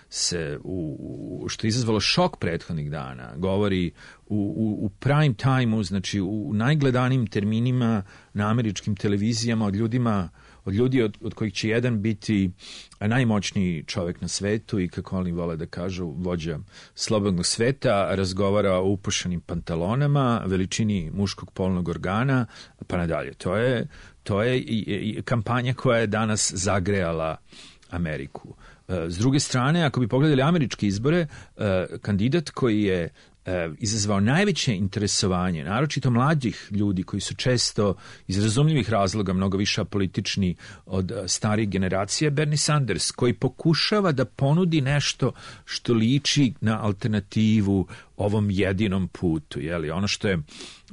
se, u, što je izazvalo šok prethodnih dana, govori u, u, u prime time-u, znači u najgledanijim terminima na američkim televizijama od ljudima, od ljudi od, od kojih će jedan biti najmoćniji čovjek na svetu i, kako oni vole da kažu, vođa slobodnog sveta, razgovara o upušanim pantalonama, veličini muškog polnog organa, pa nadalje. To je To je i, i kampanja koja je danas zagrejala Ameriku. S druge strane, ako bi pogledali američke izbore, kandidat koji je izazvao najveće interesovanje, naročito mlađih ljudi koji su često iz razumljivih razloga mnogo više apolitični od starih generacija, Bernie Sanders, koji pokušava da ponudi nešto što liči na alternativu ovom jedinom putu. Jeli? Ono što je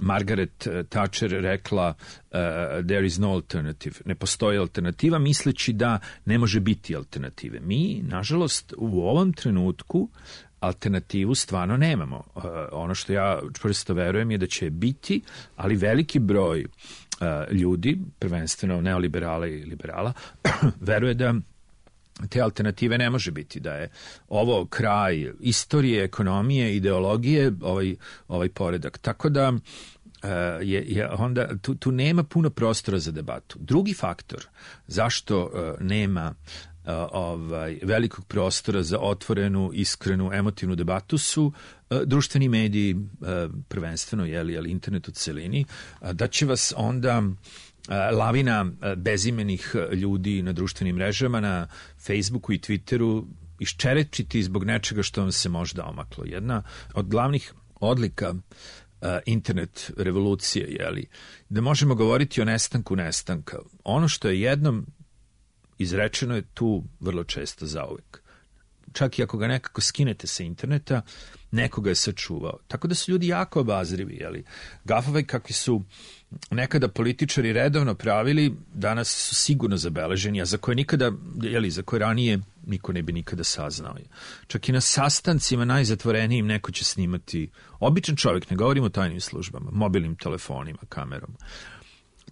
Margaret Thatcher rekla, uh, there is no alternative, ne postoji alternativa, misleći da ne može biti alternative. Mi, nažalost, u ovom trenutku alternativu stvarno nemamo. Uh, ono što ja čvrsto verujem je da će biti, ali veliki broj uh, ljudi, prvenstveno neoliberala i liberala, veruje da te alternative ne može biti, da je ovo kraj istorije, ekonomije, ideologije, ovaj, ovaj poredak. Tako da uh, je, je onda tu, tu nema puno prostora za debatu. Drugi faktor zašto uh, nema uh, ovaj, velikog prostora za otvorenu, iskrenu, emotivnu debatu su uh, društveni mediji, uh, prvenstveno, jeli, jeli, internet u celini, uh, da će vas onda lavina bezimenih ljudi na društvenim mrežama, na Facebooku i Twitteru iščerečiti zbog nečega što vam se možda omaklo. Jedna od glavnih odlika uh, internet revolucije, jeli, da možemo govoriti o nestanku nestanka. Ono što je jednom izrečeno je tu vrlo često zauvek. Čak i ako ga nekako skinete sa interneta, nekoga je sačuvao. Tako da su ljudi jako obazrivi, jeli. Gafove kakvi su nekada političari redovno pravili, danas su sigurno zabeleženi, a za koje nikada, jeli, za koje ranije niko ne bi nikada saznao. Čak i na sastancima najzatvorenijim neko će snimati, običan čovjek, ne govorimo o tajnim službama, mobilnim telefonima, kamerom.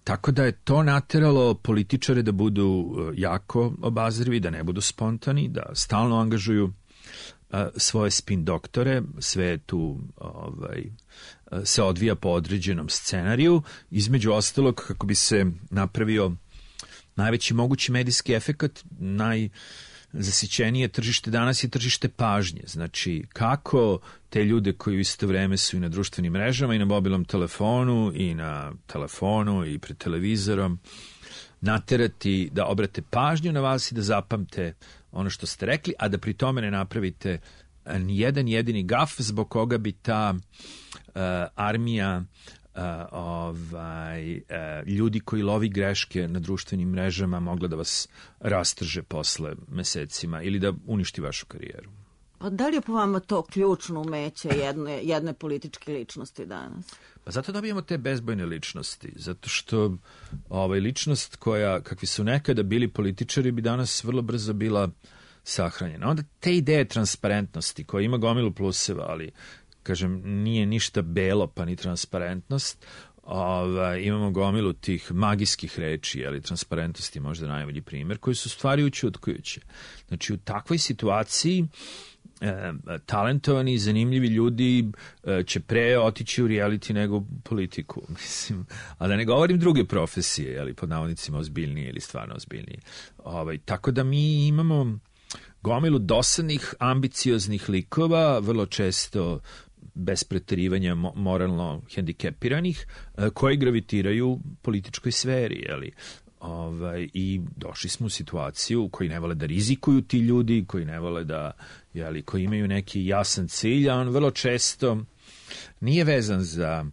Tako da je to nateralo političare da budu jako obazrivi, da ne budu spontani, da stalno angažuju a, svoje spin doktore, sve je tu ovaj, a, se odvija po određenom scenariju, između ostalog kako bi se napravio najveći mogući medijski efekat. Najzasićenije tržište danas je tržište pažnje. Znači, kako te ljude koji u isto vreme su i na društvenim mrežama i na mobilnom telefonu i na telefonu i pred televizorom naterati da obrate pažnju na vas i da zapamte ono što ste rekli, a da pri tome ne napravite ni jedan jedini gaf zbog koga bi ta uh, armija Uh, ovaj, uh, ljudi koji lovi greške na društvenim mrežama mogla da vas rastrže posle mesecima ili da uništi vašu karijeru. Pa da li je po vama to ključno umeće jedne, jedne političke ličnosti danas? Pa zato dobijamo te bezbojne ličnosti, zato što ovaj, ličnost koja, kakvi su nekada bili političari, bi danas vrlo brzo bila sahranjena. Onda te ideje transparentnosti koja ima gomilu pluseva, ali kažem, nije ništa belo pa ni transparentnost. Ova, imamo gomilu tih magijskih reči, ali transparentnost je možda najbolji primjer, koji su stvari učutkujuće. Znači, u takvoj situaciji e, talentovani i zanimljivi ljudi e, će pre otići u reality nego u politiku. Mislim, a da ne govorim druge profesije, ali pod navodnicima ozbiljnije ili stvarno ozbiljnije. Ovaj, tako da mi imamo gomilu dosadnih, ambicioznih likova, vrlo često bez preterivanja moralno hendikepiranih, koji gravitiraju političkoj sferi, jeli? Ovaj, i došli smo u situaciju koji ne vole da rizikuju ti ljudi, koji ne vole da, jeli, koji imaju neki jasan cilj, a on vrlo često nije vezan za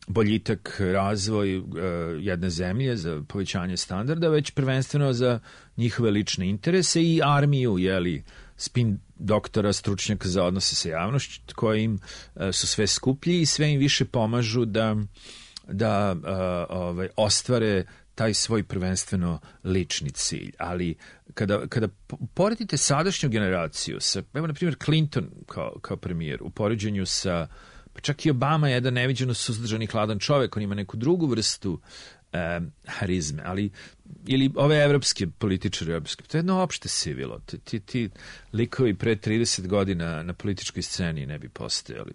boljitak, razvoj uh, jedne zemlje, za povećanje standarda, već prvenstveno za njihove lične interese i armiju, jeli, spin doktora, stručnjaka za odnose sa javnošću, koji im uh, su sve skuplji i sve im više pomažu da, da uh, ovaj, ostvare taj svoj prvenstveno lični cilj. Ali kada, kada poredite sadašnju generaciju sa, evo na primjer Clinton kao, kao premijer, u poređenju sa, pa čak i Obama je jedan neviđeno suzdržani hladan čovjek, on ima neku drugu vrstu e, harizme, ali ili ove evropske političare, evropske, to je jedno opšte sivilo. Ti, ti, ti likovi pre trideset godina na političkoj sceni ne bi postojali.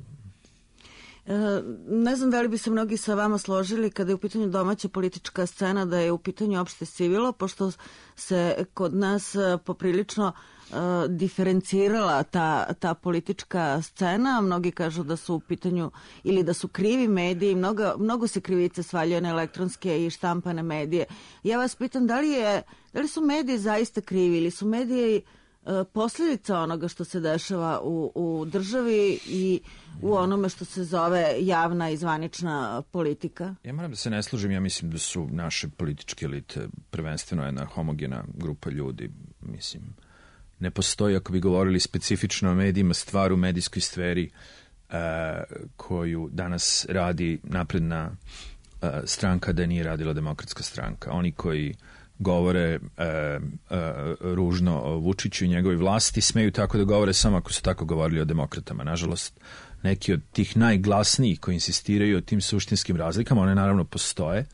Ne znam da li bi se mnogi sa vama složili kada je u pitanju domaća politička scena da je u pitanju opšte sivilo, pošto se kod nas poprilično uh, diferencirala ta, ta politička scena. Mnogi kažu da su u pitanju ili da su krivi mediji, mnogo, mnogo se krivice svaljuje na elektronske i štampane medije. Ja vas pitam da li, je, da li su mediji zaista krivi ili su mediji posljedica onoga što se dešava u, u državi i u onome što se zove javna i zvanična politika? Ja moram da se ne složim, ja mislim da su naše političke elite prvenstveno jedna homogena grupa ljudi. Mislim, ne postoji, ako bi govorili specifično o medijima, stvar u medijskoj sferi uh, koju danas radi napredna uh, stranka da nije radila Demokratska stranka. Oni koji govore e, e, ružno o Vučiću i njegovoj vlasti, smeju tako da govore samo ako su tako govorili o demokratama. Nažalost, neki od tih najglasnijih koji insistiraju o tim suštinskim razlikama, one naravno postoje,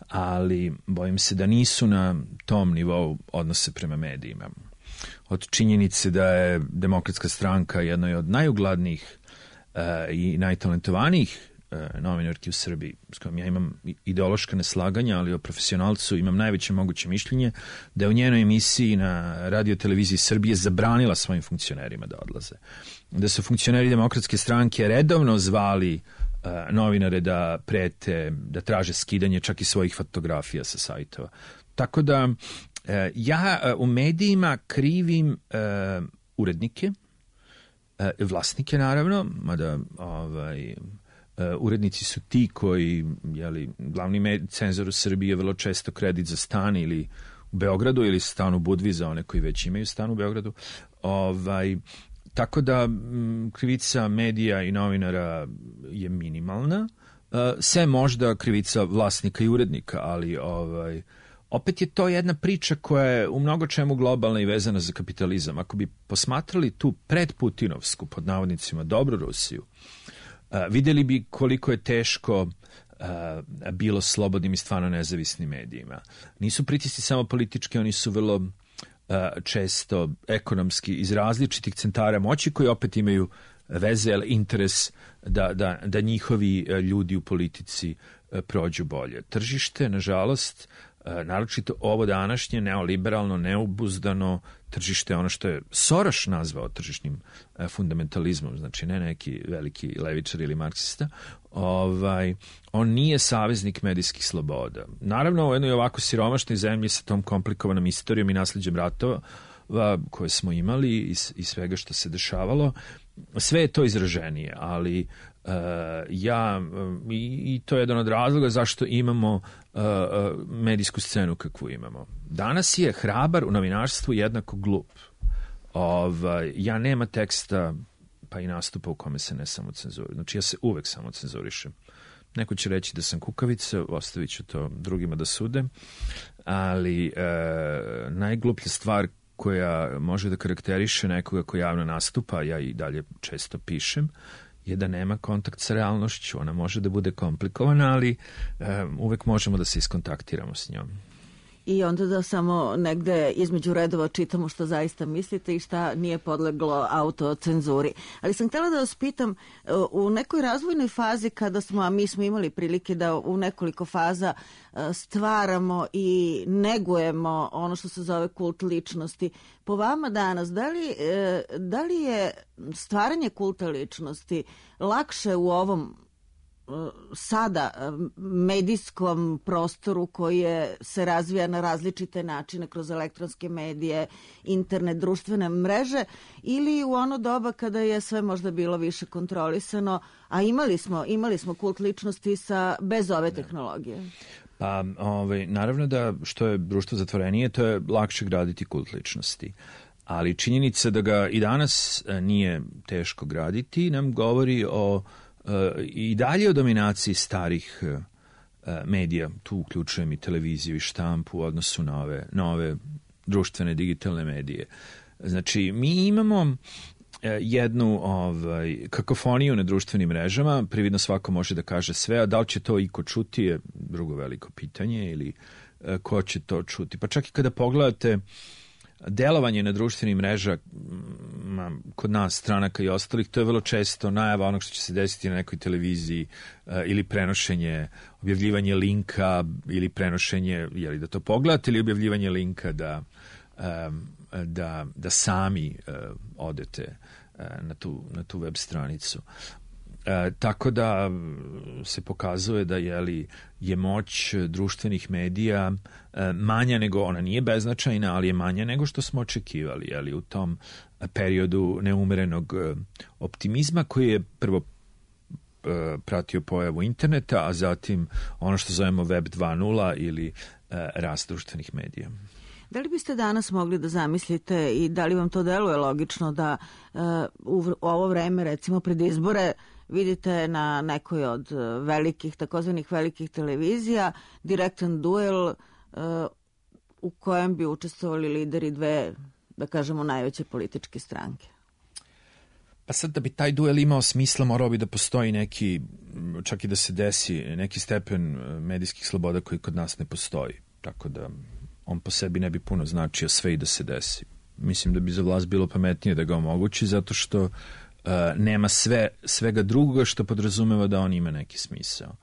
ali bojim se da nisu na tom nivou odnose prema medijima. Od činjenice da je Demokratska stranka jedna od najugladnijih e, i najtalentovanijih novinarki u Srbiji, s kojom ja imam ideološka neslaganja, ali o profesionalcu imam najveće moguće mišljenje, da je u njenoj emisiji na radio televiziji Srbije zabranila svojim funkcionerima da odlaze. Da su funkcioneri Demokratske stranke redovno zvali uh, novinare da prete, da traže skidanje čak i svojih fotografija sa sajtova. Tako da uh, ja uh, u medijima krivim uh, urednike, uh, vlasnike naravno, mada ovaj Uh, urednici su ti koji, jeli, glavni med, cenzor u Srbiji je vrlo često kredit za stan ili u Beogradu ili stan u Budvi za one koji već imaju stan u Beogradu. Ovaj, tako da m, krivica medija i novinara je minimalna, uh, sve možda krivica vlasnika i urednika, ali ovaj, opet je to jedna priča koja je u mnogo čemu globalna i vezana za kapitalizam. Ako bi posmatrali tu predputinovsku, pod navodnicima, dobru Rusiju, Uh, vidjeli bi koliko je teško uh, bilo slobodnim i stvarno nezavisnim medijima. Nisu pritisci samo politički, oni su vrlo često ekonomski iz različitih centara moći koji opet imaju veze, ali interes da, da, da njihovi ljudi u politici prođu bolje. Tržište, nažalost, naročito ovo današnje neoliberalno, neobuzdano tržište, ono što je Soros nazvao tržišnim fundamentalizmom, znači ne neki veliki levičar ili marksista, ovaj, on nije saveznik medijskih sloboda. Naravno, u jednoj ovako siromašnoj zemlji sa tom komplikovanom istorijom i nasleđem ratova koje smo imali i, i svega što se dešavalo, sve je to izraženije, ali uh, ja, i, i to je jedan od razloga zašto imamo uh, medijsku scenu kakvu imamo. Danas je hrabar u novinarstvu jednako glup. Ovaj, ja nema teksta, pa i nastupa u kome se ne samocenzurišem. Znači ja se uvek samocenzurišem. Neko će reći da sam kukavica, ostavit ću to drugima da sude, ali uh, najgluplja stvar koja može da karakteriše nekoga ko javno nastupa, ja i dalje često pišem, je da nema kontakt sa realnošću. Ona može da bude komplikovana, ali um, uvek možemo da se iskontaktiramo s njom. I onda da samo negde između redova čitamo što zaista mislite i šta nije podleglo autocenzuri. Ali sam htjela da vas pitam, u nekoj razvojnoj fazi kada smo, a mi smo imali prilike da u nekoliko faza stvaramo i negujemo ono što se zove kult ličnosti, po vama danas, da li, da li je stvaranje kulta ličnosti lakše u ovom sada medijskom prostoru koji je, se razvija na različite načine kroz elektronske medije, internet, društvene mreže, ili u ono doba kada je sve možda bilo više kontrolisano, a imali smo, imali smo kult ličnosti sa, bez ove tehnologije? Pa, ovaj, naravno da što je društvo zatvorenije, to je lakše graditi kult ličnosti. Ali činjenica da ga i danas nije teško graditi nam govori o i dalje o dominaciji starih medija, tu uključujem i televiziju i štampu u odnosu na ove nove društvene digitalne medije. Znači, mi imamo jednu ovaj, kakofoniju na društvenim mrežama, prividno svako može da kaže sve, a da li će to iko čuti je drugo veliko pitanje ili ko će to čuti. Pa čak i kada pogledate delovanje na društvenim mreža kod nas, stranaka i ostalih, to je vrlo često najava onog što će se desiti na nekoj televiziji uh, ili prenošenje, objavljivanje linka ili prenošenje, jeli da to pogledate, ili objavljivanje linka da, um, da, da sami uh, odete uh, na, tu, na tu web stranicu. E, tako da se pokazuje da jeli, je moć društvenih medija e, manja nego, ona nije beznačajna, ali je manja nego što smo očekivali jeli, u tom periodu neumerenog e, optimizma koji je prvo e, pratio pojavu interneta, a zatim ono što zovemo web dva nula ili e, rast društvenih medija. Da li biste danas mogli da zamislite i da li vam to deluje logično da e, u ovo vreme, recimo pred izbore, vidite na nekoj od velikih, takozvanih velikih televizija, direktan duel uh, u kojem bi učestvovali lideri dve, da kažemo, najveće političke stranke? Pa sad da bi taj duel imao smisla, morao bi da postoji neki, čak i da se desi, neki stepen medijskih sloboda koji kod nas ne postoji. Tako da on po sebi ne bi puno značio sve i da se desi. Mislim da bi za vlast bilo pametnije da ga omogući, zato što Uh, nema sve, svega drugoga što podrazumeva da on ima neki smisao.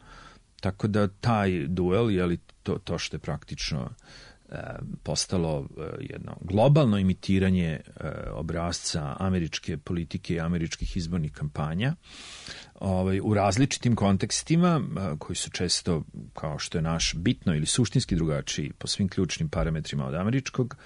Tako da taj duel, jeli to, to što je praktično uh, postalo uh, jedno globalno imitiranje uh, obrasca američke politike i američkih izbornih kampanja, ovaj, u različitim kontekstima uh, koji su često, kao što je naš, bitno ili suštinski drugačiji po svim ključnim parametrima od američkog,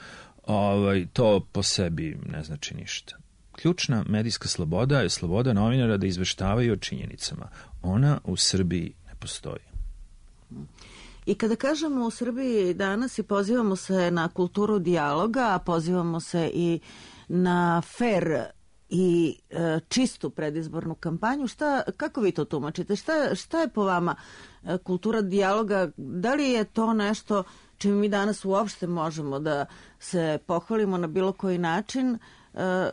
ovaj, to po sebi ne znači ništa. Ključna medijska sloboda je sloboda novinara da izveštavaju o činjenicama. Ona u Srbiji ne postoji. I kada kažemo u Srbiji danas i pozivamo se na kulturu dijaloga, a pozivamo se i na fer i e, čistu predizbornu kampanju, šta, kako vi to tumačite? Šta, šta je po vama e, kultura dijaloga? Da li je to nešto čime mi danas uopšte možemo da se pohvalimo na bilo koji način? E,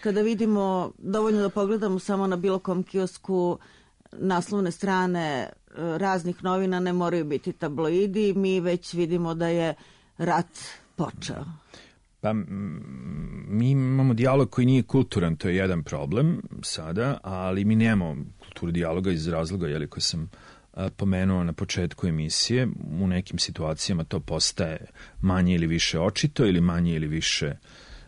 Kada vidimo, dovoljno da pogledamo samo na bilo kom kiosku naslovne strane raznih novina, ne moraju biti tabloidi, mi već vidimo da je rat počeo. Pa m, mi imamo dijalog koji nije kulturan, to je jedan problem sada, ali mi nemamo kulturu dijaloga iz razloga, jeli, koji sam a, pomenuo na početku emisije. U nekim situacijama to postaje manje ili više očito ili manje ili više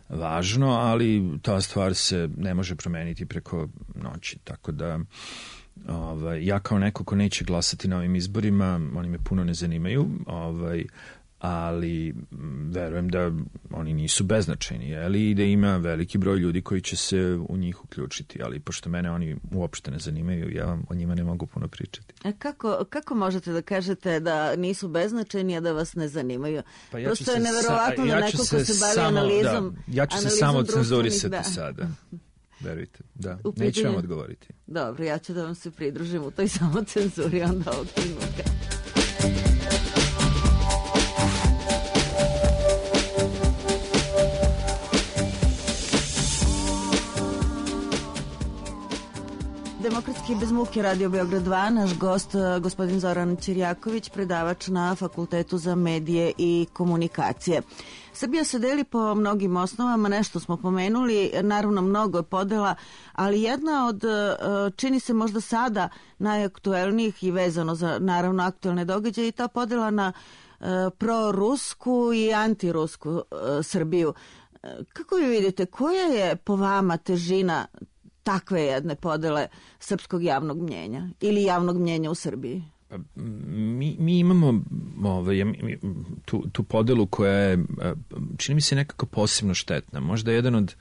važno, ali ta stvar se ne može promeniti preko noći, tako da ovaj, ja kao neko ko neće glasati na ovim izborima, oni me puno ne zanimaju, ovaj, ali verujem da oni nisu beznačajni, jeli, i da ima veliki broj ljudi koji će se u njih uključiti, ali pošto mene oni uopšte ne zanimaju, ja vam o njima ne mogu puno pričati. A kako, kako možete da kažete da nisu beznačajni, a da vas ne zanimaju? Pa ja Prosto je neverovatno da ja neko ko se bavi samo, analizom... Da, ja ću se samo cenzurisati sada. Verujte, da. Pitanje... Neću vam odgovoriti. Dobro, ja ću da vam se pridružim u toj samo cenzuri onda ovog trenutka. Demokratski bez muke, Radio Beograd dva, naš gost, gospodin Zoran Ćirjaković, predavač na Fakultetu za medije i komunikacije. Srbija se deli po mnogim osnovama, nešto smo pomenuli, naravno mnogo je podela, ali jedna od, čini se možda sada, najaktuelnijih i vezano za naravno aktuelne događaje i ta podela na prorusku i antirusku Srbiju. Kako vi vidite, koja je po vama težina takve jedne podele srpskog javnog mnjenja ili javnog mnjenja u Srbiji? Pa, mi, mi imamo ovaj, mi, tu, tu podelu koja je, čini mi se, nekako posebno štetna. Možda jedan od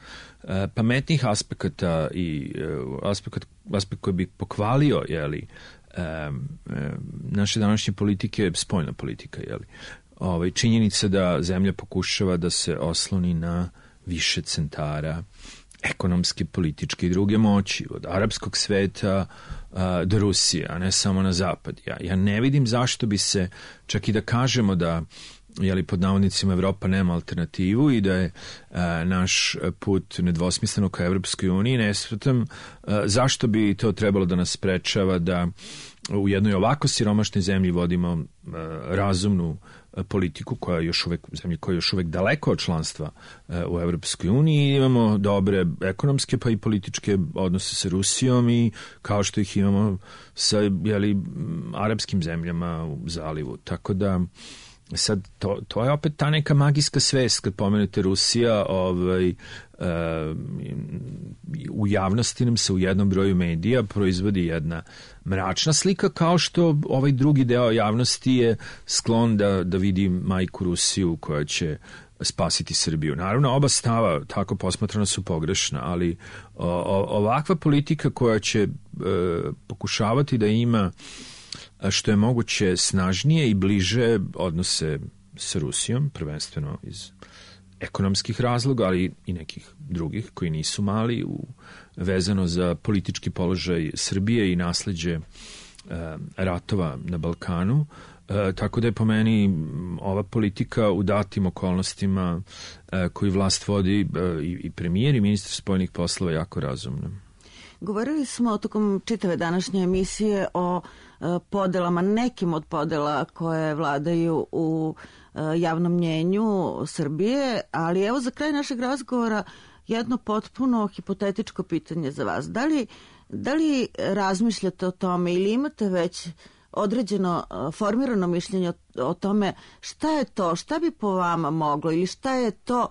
uh, pametnijih aspekata i uh, aspekt, aspekt koji bi pokvalio, jeli, uh, uh, naše današnje politike je spoljna politika, jeli. Ovaj, činjenica da zemlja pokušava da se osloni na više centara ekonomske, političke i druge moći, od arapskog sveta a, do Rusije, a ne samo na zapad. Ja, ja ne vidim zašto bi se, čak i da kažemo da, jeli, pod navodnicima, Evropa nema alternativu i da je a, naš put nedvosmisleno ka Evropskoj uniji, ne shvatam zašto bi to trebalo da nas sprečava da u jednoj ovako siromašnoj zemlji vodimo a, razumnu politiku koja je još uvek, zemlji koja je još uvek daleko od članstva u Evropskoj uniji. Imamo dobre ekonomske pa i političke odnose sa Rusijom i kao što ih imamo sa, jeli, arapskim zemljama u zalivu. Tako da sad to, to je opet ta neka magijska svest kad pomenete Rusija, ovaj, uh, u javnosti nam se u jednom broju medija proizvodi jedna mračna slika, kao što ovaj drugi deo javnosti je sklon da, da vidi majku Rusiju koja će spasiti Srbiju. Naravno, oba stava tako posmatrana su pogrešna, ali o, o, ovakva politika koja će e, pokušavati da ima što je moguće snažnije i bliže odnose sa Rusijom, prvenstveno iz ekonomskih razloga, ali i nekih drugih koji nisu mali, u, vezano za politički položaj Srbije i nasleđe e, ratova na Balkanu. E, tako da je po meni ova politika u datim okolnostima e, koju vlast vodi e, i, i premijer i ministar spoljnih poslova jako razumna. Govorili smo tokom čitave današnje emisije o e, podelama, nekim od podela koje vladaju u e, javnom mnjenju Srbije, ali evo za kraj našeg razgovora jedno potpuno hipotetičko pitanje za vas. Da li, da li razmišljate o tome ili imate već određeno formirano mišljenje o, o tome šta je to, šta bi po vama moglo ili šta je to,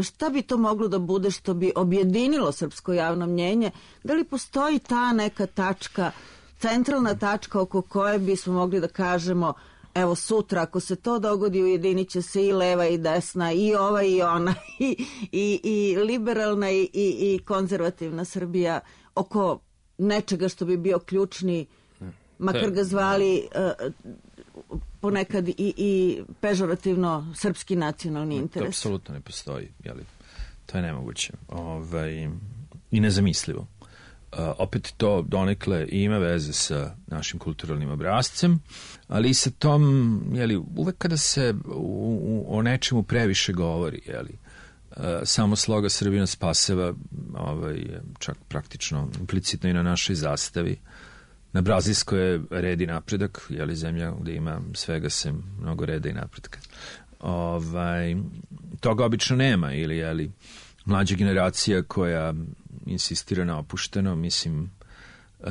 šta bi to moglo da bude što bi objedinilo srpsko javno mnjenje? Da li postoji ta neka tačka, centralna tačka oko koje bismo mogli da kažemo evo sutra ako se to dogodi ujedinit će se i leva i desna i ova i ona i, i, i liberalna i, i, i konzervativna Srbija oko nečega što bi bio ključni, makar ga zvali uh, ponekad i, i pežorativno srpski nacionalni interes. To apsolutno ne postoji, jeli? To je nemoguće. Ovaj, i nezamislivo. Uh, opet to donekle ima veze sa našim kulturalnim obrazcem, ali i sa tom, jeli, uvek kada se u, u, o nečemu previše govori, jeli, uh, samo sloga Srbina spaseva, ovaj, čak praktično implicitno i na našoj zastavi. Na Brazilskoj je red i napredak, jeli, zemlja gde ima svega sem mnogo reda i napretka. Ovaj, toga obično nema, ili je li mlađa generacija koja insistira na opušteno, mislim, e,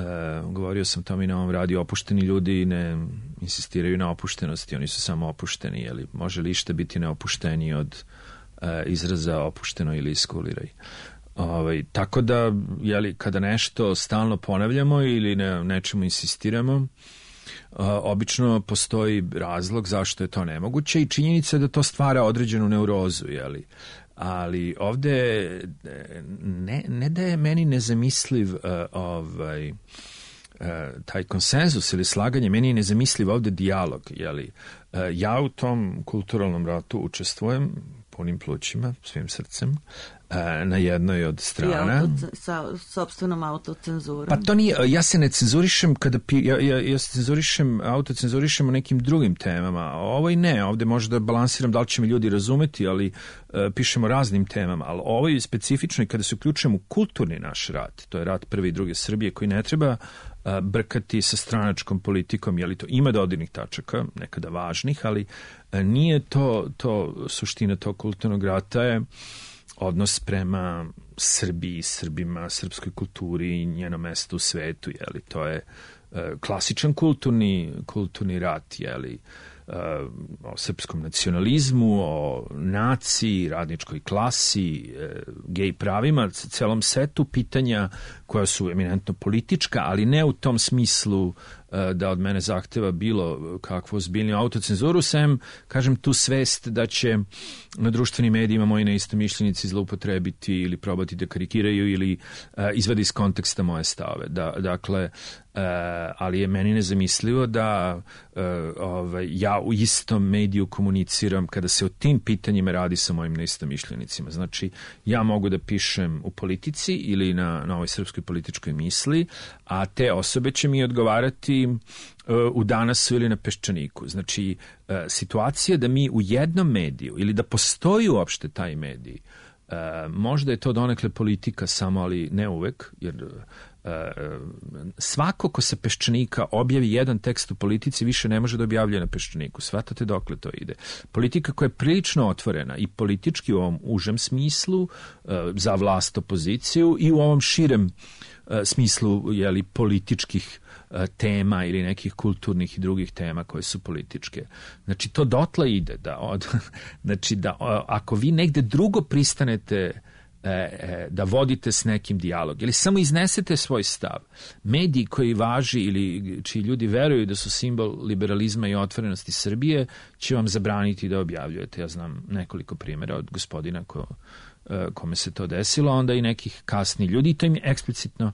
govorio sam tome i na ovom radiju, opušteni ljudi ne insistiraju na opuštenosti, oni su samo opušteni, je li može li išta biti neopušteniji od e, izraza opušteno ili iskuliraj. Ovaj, tako da, jeli, kada nešto stalno ponavljamo ili na nečemu insistiramo, uh, obično postoji razlog zašto je to nemoguće i činjenica je da to stvara određenu neurozu, jeli. Ali ovde ne, ne da je meni nezamisliv uh, ovaj, uh, taj konsenzus ili slaganje, meni je nezamisliv ovde dijalog, jeli. Uh, ja u tom kulturalnom ratu učestvujem punim plućima, svim srcem, na jednoj od strana. I auto, sa sopstvenom autocenzurom. Pa to nije, ja se ne cenzurišem kada pi, ja, ja, ja se cenzurišem, autocenzurišem o nekim drugim temama. Ovo i ne, ovde možda balansiram da li će mi ljudi razumeti, ali uh, pišemo raznim temama, ali ovo je specifično i kada se uključujem u kulturni naš rat, to je rat prve i druge Srbije koji ne treba uh, brkati sa stranačkom politikom, je li to ima dodirnih tačaka, nekada važnih, ali uh, nije to, to suština tog kulturnog rata je odnos prema Srbiji, Srbima, srpskoj kulturi i njeno mesto u svetu, jeli, to je uh, klasičan kulturni, kulturni rat, jeli, uh, o srpskom nacionalizmu, o naciji, radničkoj klasi, uh, gej pravima, celom setu pitanja koja su eminentno politička, ali ne u tom smislu da od mene zahteva bilo kakvu ozbiljniju autocenzuru, sem, kažem, tu svest da će na društvenim medijima moji neistomišljenici zloupotrebiti ili probati da karikiraju ili uh, izvadi iz konteksta moje stave. Da, dakle, uh, ali je meni nezamislivo da uh, ovaj, ja u istom mediju komuniciram kada se o tim pitanjima radi sa mojim neistomišljenicima. Znači, ja mogu da pišem u politici ili na, na ovoj srpskoj političkoj misli, a te osobe će mi odgovarati u Danasu ili na Peščaniku. Znači, situacija da mi u jednom mediju ili da postoji uopšte taj medij, možda je to donekle politika samo, ali ne uvek, jer svako ko sa Peščanika objavi jedan tekst u politici više ne može da objavljuje na Peščaniku. Svatate dokle to ide. Politika koja je prilično otvorena i politički u ovom užem smislu za vlast, opoziciju i u ovom širem smislu, jeli, političkih tema ili nekih kulturnih i drugih tema koje su političke. Znači, to dotle ide da, od, znači, da ako vi negde drugo pristanete E, e, da vodite s nekim dijalog ili samo iznesete svoj stav, mediji koji važi ili čiji ljudi veruju da su simbol liberalizma i otvorenosti Srbije će vam zabraniti da objavljujete. Ja znam nekoliko primjera od gospodina ko, e, kome se to desilo, onda i nekih kasnih ljudi i to im je eksplicitno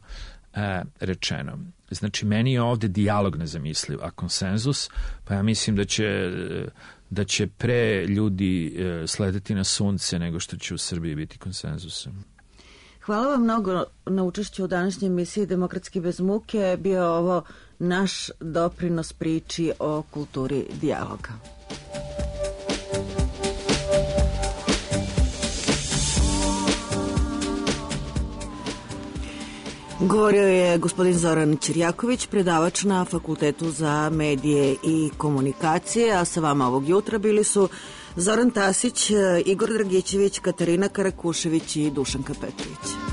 e, rečeno. Znači, meni je ovde dijalog nezamisliv, a konsenzus, pa ja mislim da će da će pre ljudi e, sledeti na sunce nego što će u Srbiji biti konsenzusom. Hvala vam mnogo na učešću u današnjoj emisiji Demokratski bez muke. Bio je ovo naš doprinos priči o kulturi dijaloga. Govorio je gospodin Zoran Ćirjaković, predavač na Fakultetu za medije i komunikacije, a sa vama ovog jutra bili su Zoran Tasić, Igor Dragićević, Katarina Karakušević i Dušanka Petrović.